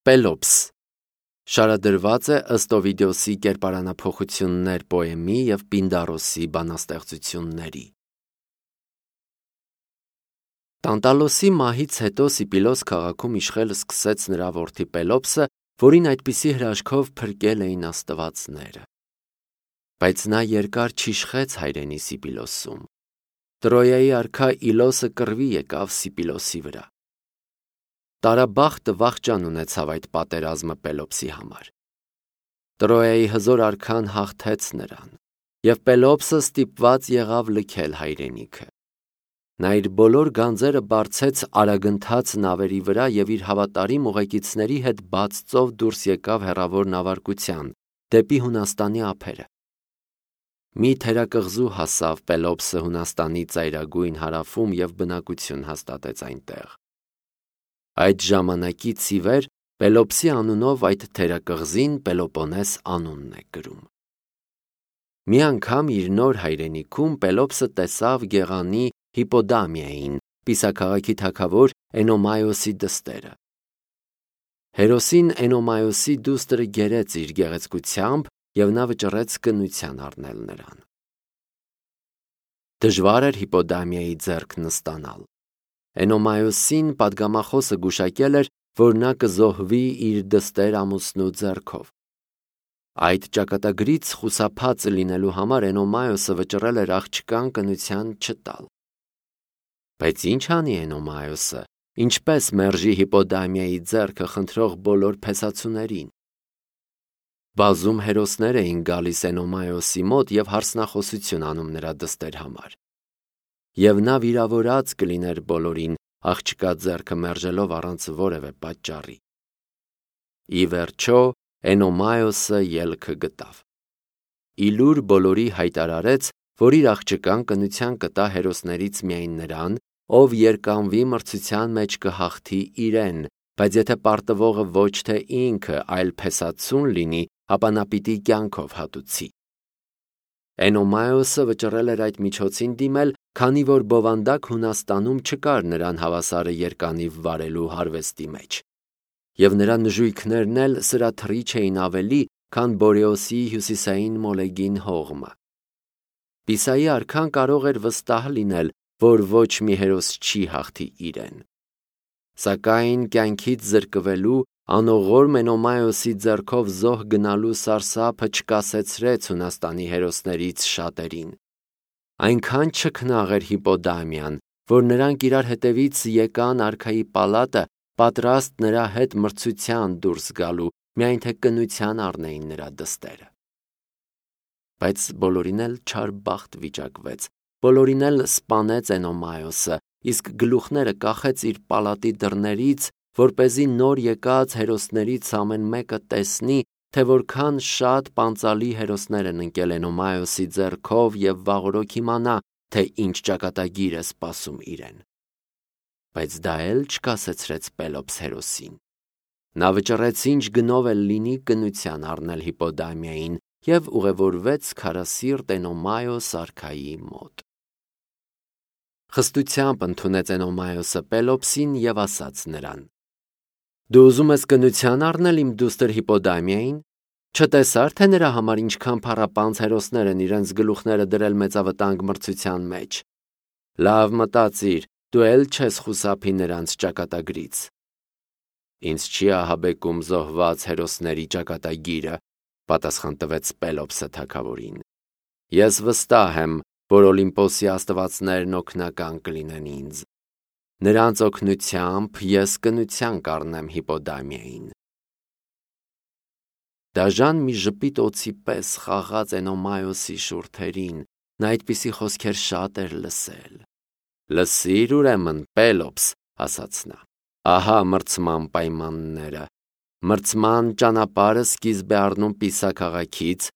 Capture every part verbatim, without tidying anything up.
Պելոպս շարադրված է ըստ Օվիդիոսի կերպարանափոխություններ պոեմի և Պինդարոսի բանաստեղծությունների։ Տանտալոսի մահից հետո Սիպիլոս քաղաքում իշխել սկսեց նրա որդի Պելոպսը, որին այդպիսի հրաշքով փրկել էին աստվածները։ Բայց նա երկար չիշխեց հայրենի Սիպիլոսում։ Տրոյայի արքա Իլոսը կռվի եկավ Սիպիլոսի վրա։ Տարաբախտը վախճան ունեցավ այդ պատերազմը Պելոպսի համար։ Տրոյայի հզոր արքան հաղթեց նրան, և Պելոպսը ստիպված եղավ լքել հայրենիքը։ Նա իր բոլոր գանձերը բարձեց արագընթաց նավերի վրա և իր հավատարիմ ուղեկիցների հետ բաց ծով դուրս եկավ հեռավոր նավարկության, դեպի Հունաստանի ափերը։ Մի թերակղզու հասավ Պելոպսը Հունաստանի ծայրագույն հարավում և բնակություն հաստատեց այնտեղ։ Այդ ժամանակից ի վեր Պելոպսի անունով այդ թերակղզին Պելոպոնես անունն է կրում։ Մի անգամ իր նոր հայրենիքում Պելոպսը տեսավ գեղանի Հիպոդամիային, Պիսաքաղաքի թագավոր Էնոմայոսի դստերը։ Հերոսին Էնոմայոսի դուստրը գերեց իր գեղեցկությամբ, և նա վճռեց կնության առնել նրան։ Դժվար էր Հիպոդամիայի ձեռքն ստանալ։ Էնոմայոսին պատգամախոսը գուշակել էր, որ նա կզոհվի իր դստեր ամուսնու ձեռքով։ Այդ ճակատագրից խուսափած լինելու համար Էնոմայոսը վճռել էր աղջկան կնության չտալ։ Բայց ինչ անի Էնոմայոսը, ինչպես մերժի Հիպոդամիայի ձեռքը խնդրող բոլոր փեսացուներին։ Բազում հերոսներ էին գալիս Էնոմայոսի մոտ և հարցնախոսություն անում նրա դստեր համար։ Եվ նա վիրավորած կլիներ բոլորին, աղջկա ձեռքը մերժելով առանց որևէ պատճառի։ Ի վերջո Էնոմայոսը ելքը գտավ։ Իլուր բոլորի հայտարարեց, որ իր աղջկան կնության կտա հերոսներից միայն նրան, ով երկանվի մրցության մեջ կհաղթի իրեն, բայց եթե պարտվողը ոչ թե ինքը, այլ փեսացուն լինի, ապա նա պիտի կյանքով հատուցի։ Էնոմայոսը վճռել էր այդ միջոցին դիմել, քանի որ բովանդակ Հունաստանում չկար նրան հավասարը երկանիվ վարելու հարվեստի մեջ, և նրա նժույգներն էլ սրաթռիչ էին ավելի, քան Բորեոսի հյուսիսային մոլեգին հողմը։ Պիսայի արքան կարող էր վստահ լինել, որ ոչ մի հերոս չի հաղթի իրեն։ Սակայն կյանքից զրկվելու, անողորմ Էնոմայոսի ձեռքով զոհ գնալու սարսափը չկասեցրեց Հունաստանի հերոսներից շատերին։ Այնքան չքնաղ էր Հիպոդամիան, որ նրանք իրար հետևից եկան արքայի պալատը, պատրաստ նրա հետ մրցության դուրս գալու, միայն թե կնության առնեին նրա դստերը։ Բայց բոլորին էլ չար բախտ վիճակվեց, բոլորին էլ սպանեց Էնոմայոսը, իսկ գլուխները կախեց իր պալատի դռներից, որպեսզի նոր եկած հերոսներից ամեն մեկը տեսնի, թե որքան շատ պանծալի հերոսներ են ընկել Էնոմայոսի ձեռքով և վաղօրոք իմանա, թե ինչ ճակատագիր է սպասում իրեն։ Բայց դա էլ չկասեցրեց Պելոպս հերոսին։ Նա վճռեց ինչ գնով էլ լինի կնության առնել Հիպոդամիային և ուղևորվեց քարասիրտ Էնոմայոս արքայի մոտ։ Խստությամբ ընդունեց Էնոմայոսը Պելոպսին և ասաց նրան. «Դու ուզում ես կնության առնել իմ դուստր Հիպոդամիային, չտեսա՞ր, թե նրա համար ինչքան փառապանծ հերոսներ են իրենց գլուխները դրել մեծավտանգ մրցության մեջ։ Լավ մտածիր, դու էլ չես խուսափի նրանց ճակատագրից»։ «Ինձ չի ահաբեկում զոհված հերոսների ճակատագիրը», պատասխան տվեց Պելոպսը թագավորին։ «Ես վստահ եմ, որ Օլիմպոսի աստվածներն օգնական կլինեն ինձ։ Նրանց օգնությամբ ես կնության կառնեմ Հիպոդամիային»։ Դաժան մի ժպիտ օձի պես խաղաց Էնոմայոսի շուրթերին, նա այդպիսի խոսքեր շատ էր լսել։ «Լսիր ուրեմն, Պելոպս», ասաց նա, «ահա մրցման պայմանները։ Մրցման ճանապարհը սկիզբ է առնում Պիսա քաղաքից,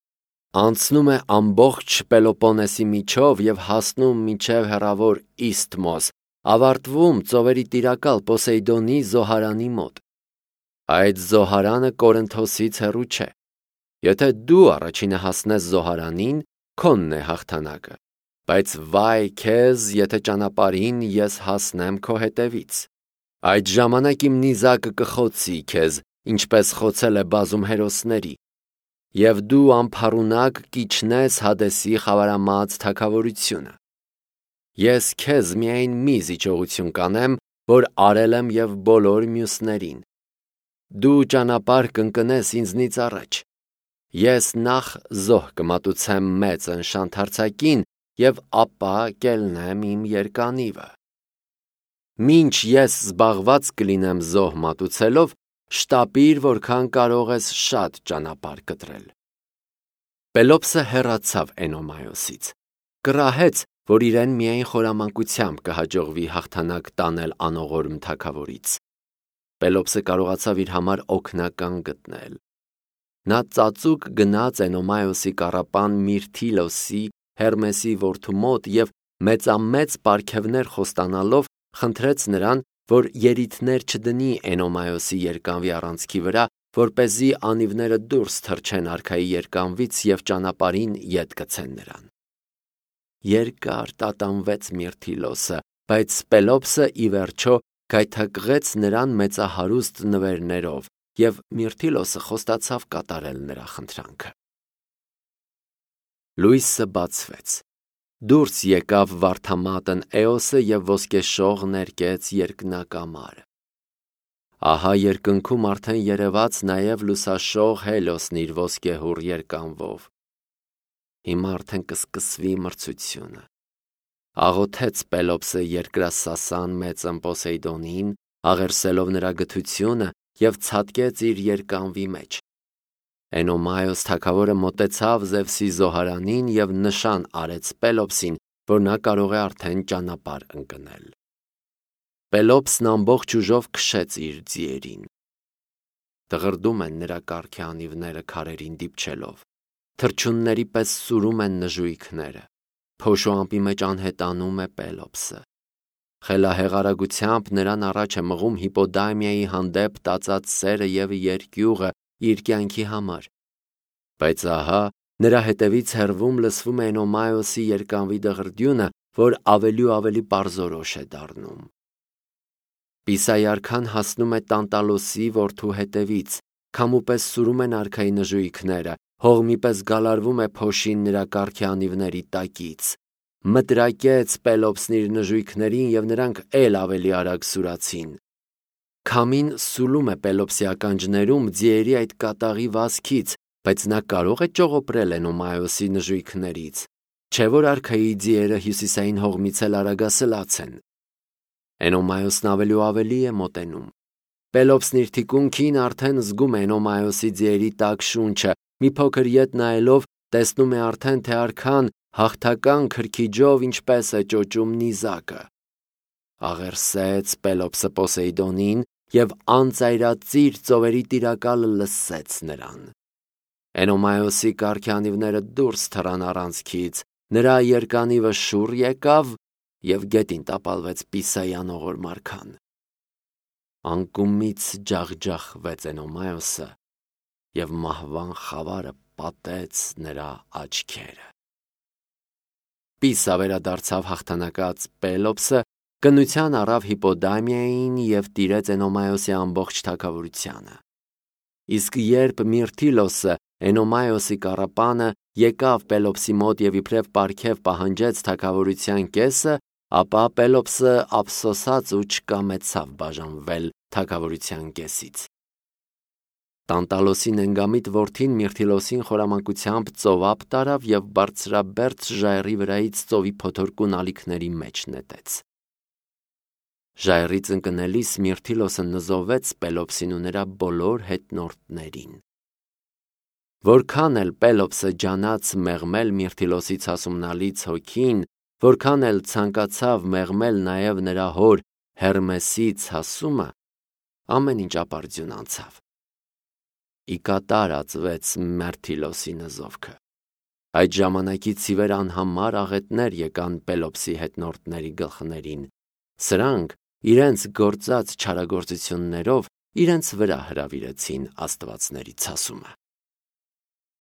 անցնում է ամբողջ Պելոպոնեսի միջով և հասնում մինչև հեռավոր Իսթմոս, ավարտվում ծովերի տիրակալ Պոսեյդոնի զոհարանի մոտ։ Այդ զոհարանը Կորինթոսից հեռու չէ։ Եթե դու առաջինը հասնես զոհարանին, քոնն է հաղթանակը, բայց վայ քեզ, եթե ճանապարհին ես հասնեմ քո հետևից։ Այդ ժամանակ իմ նիզակը կխոցի քեզ, ինչպես խոցել է բազում հերոսների, և դու ամփառունակ կիջնես Հադեսի խավարամած թագավորությունը։ Ես քեզ միայն մի զիջողություն կանեմ, որ արել եմ և բոլոր մյուսներին։ Դու ճանապարհ կընկնես ինձնից առաջ։ Ես նախ զոհ կմատուցեմ մեծ նշանթարցակին և ապա կելնեմ իմ երկանիվը։ Մինչ ես զբաղված կլինեմ զոհ մատուցելով, շտապիր, որքան կարող ես շատ ճանապարհ կտրել։ Պելոպսը հեռացավ Էնոմայոսից, կռահեց, որ իրեն միայն խորամանկությամբ կհաջողվի հաղթանակ տանել անողորմ թագավորից։ Պելոպսը կարողացավ իր համար օգնական գտնել։ Նա ծածուկ գնաց Էնոմայոսի կառապան Միրթիլոսի, Հերմեսի որդու մոտ և մեծամեծ պարգևներ խոստանալով խնդրեց նրան, որ երիթներ չդնի Էնոմայոսի երկանվի առանցքի վրա, որպեսզի անիվները դուրս թռչեն արքայի երկանվից և ճանապարհին ետ գցեն նրան։ Երկար տատանվեց Միրթիլոսը, բայց Պելոպսը ի վերջո գայթակղեց նրան մեծահարուստ նվերներով, և Միրթիլոսը խոստացավ կատարել նրա խնդրանքը։ Լույսը բացվեց։ Դուրս եկավ վարդամատն Էոսը և ոսկեշող ներկեց երկնակամարը։ Ահա երկնքում արդեն երևաց նաև լուսաշող Հելիոսն իր ոսկեհուռ երկանվով։ Հիմա արդեն կսկսվի մրցությունը։ Աղոթեց Պելոպսը երկրասասան մեծն Պոսեյդոնին, աղերսելով նրա գթությունը, և ցատկեց իր երկանվի մեջ։ Էնոմայոս թագավորը մոտեցավ Զևսի զոհարանին և նշան արեց Պելոպսին, որ նա կարող է արդեն ճանապարհ ընկնել։ Պելոպսն ամբողջ ուժով քշեց իր ձիերին։ Դղրդում են նրա կառքի անիվները քարերին դիպչելով, թռչունների պես սուրում են նժույգները, փոշու ամպի մեջ անհետանում է Պելոպսը։ Խելահեղ արագությամբ նրան առաջ է մղում Հիպոդամիայի հանդեպ տածած սերը և երկյուղը իր կյանքի համար։ Բայց ահա նրա հետևից հեռվում լսվում է Էնոմայոսի երկանվի դղրդյունը, որ ավելի ու ավելի պարզորոշ է դառնում։ Պիսայի արքան հասնում է Տանտալոսի որդու հետևից, քամու պես սուրում են արքայի նժույգները, հողմի պես գալարվում է փոշին նրա կառքի անիվների տակից։ Մտրակեց Պելոպսն իր նժույգներին, և նրանք էլ ավելի արագ սուրացին։ Քամին սուլում է Պելոպսի ականջներում ձիերի այդ կատաղի վազքից, բայց նա կարող է ճողոպրել Էնոմայոսի նժույգներից, չէ՞ որ արքայի ձիերը հյուսիսային հողմից էլ արագասլաց են։ Էնոմայոսն ավելի ու ավելի է մոտենում։ Պելոպսն իր թիկունքին արդեն զգում է Էնոմայոսի ձիերի տաք շունչը, մի փոքր ետ նայելով տեսնում է արդեն, թե արքան հաղթական քրքիջով ինչպես է ճոճում նիզակը։ Աղերսեց Պելոպսը Պոսեյդոնին և անծայրածիր ծովերի տիրակալը լսեց նրան։ Էնոմայոսի կառքի անիվները դուրս թռան առանցքից, նրա երկանիվը շուռ եկավ և գետին տապալվեց Պիսայի անողորմ արքան։ Անկումից ջախջախվեց Էնոմայոսը, և մահվան խավարը պատեց նրա աչքերը։ Պիսա վերադարձավ հաղթանակած Պելոպսը, կնության առավ Հիպոդամիային և տիրեց Էնոմայոսի ամբողջ թագավորությանը։ Իսկ երբ Միրթիլոսը, Էնոմայոսի կառապանը, եկավ Պելոպսի մոտ և իբրև պարգև պահանջեց թագավորության կեսը, ապա Պելոպսը ափսոսաց ու չկամեցավ բաժանվել թագավորության կեսից։ Տանտալոսի նենգամիտ որդին Միրթիլոսին խորամանկությամբ ծովափ տարավ և բարձրաբերձ ժայռի վրայից ծովի փոթորկուն ալիքների մեջ նետեց։ Ժայռից ընկնելիս Միրթիլոսը նզովեց Պելոպսին ու նրա բոլոր հետնորդներին։ Որքան էլ Պելոպսը ջանաց մեղմել Միրթիլոսի ցասումնալից հոգին, որքան էլ ցանկացավ մեղմել նաև նրա հոր Հերմեսի ցասումը, ամեն ինչ ապարդյուն անցավ։ Ի կատար ածվեց Միրթիլոսի նզովքը։ Այդ ժամանակից ի վեր անհամար աղետներ եկան Պելոպսի հետնորդների գլխներին։ Սրանք իրենց գործած չարագործություններով իրենց վրա հրավիրեցին աստվածների ցասումը։